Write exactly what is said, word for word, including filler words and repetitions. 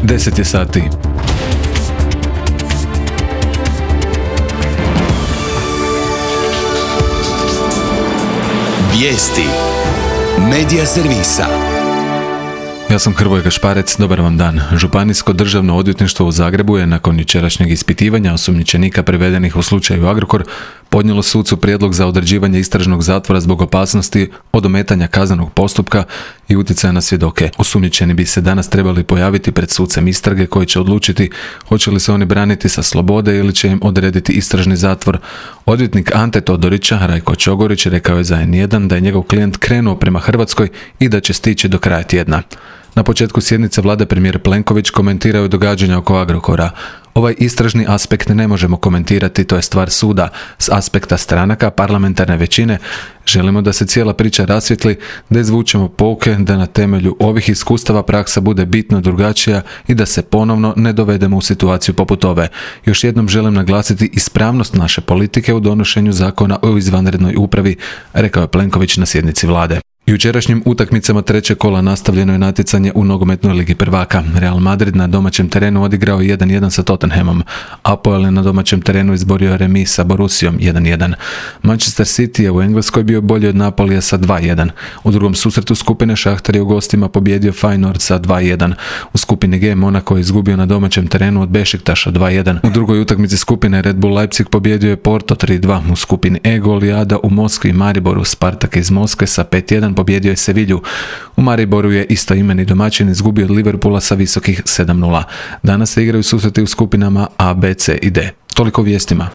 deset je sati. Vijesti Medija servisa. Ja sam Hrvoje Gašparec, dobar vam dan. Županijsko državno odvjetništvo u Zagrebu je nakon jučerašnjeg ispitivanja osumnjičenika privedenih u slučaju Agrokor podnijelo sucu prijedlog za određivanje istražnog zatvora zbog opasnosti od ometanja kaznenog postupka i utjecaja na svjedoke. Osumnjičeni bi se danas trebali pojaviti pred sucem istrage koji će odlučiti hoće li se oni braniti sa slobode ili će im odrediti istražni zatvor. Odvjetnik Ante Todorića, Rajko Čogorić, rekao je za en jedan da je njegov klijent krenuo prema Hrvatskoj i da će stići do kraja tjedna. Na početku sjednice vlade premijer Plenković komentirao je događanja oko Agrokora. Ovaj istražni aspekt ne možemo komentirati, to je stvar suda. S aspekta stranaka, parlamentarne većine, želimo da se cijela priča rasvijetli, da izvučemo pouke, da na temelju ovih iskustava praksa bude bitno drugačija i da se ponovno ne dovedemo u situaciju poput ove. Još jednom želim naglasiti ispravnost naše politike u donošenju zakona o izvanrednoj upravi, rekao je Plenković na sjednici vlade. Jučerašnjim utakmicama trećeg kola nastavljeno je natjecanje u nogometnoj ligi prvaka. Real Madrid na domaćem terenu odigrao jedan jedan sa Tottenhamom. Apoel je na domaćem terenu izborio remis sa Borussijom jedan jedan. Manchester City je u Engleskoj bio bolji od Napolija sa dva jedan. U drugom susretu skupine Šahtar je u gostima pobjedio Feyenoord sa dva jedan. U skupini G Monaco je izgubio na domaćem terenu od Bešiktaša dva jedan. U drugoj utakmici skupine Red Bull Leipzig pobjedio je Porto tri dva. U skupini E Golijada u Moskvi i Mariboru Spartak iz Moskve sa pet jedan pobjedio je Sevilju. U Mariboru je istoimeni domaćin izgubio od Liverpoola sa visokih sedam nula. Danas se igraju susreti u skupinama A, B, C i D. Toliko vijestima.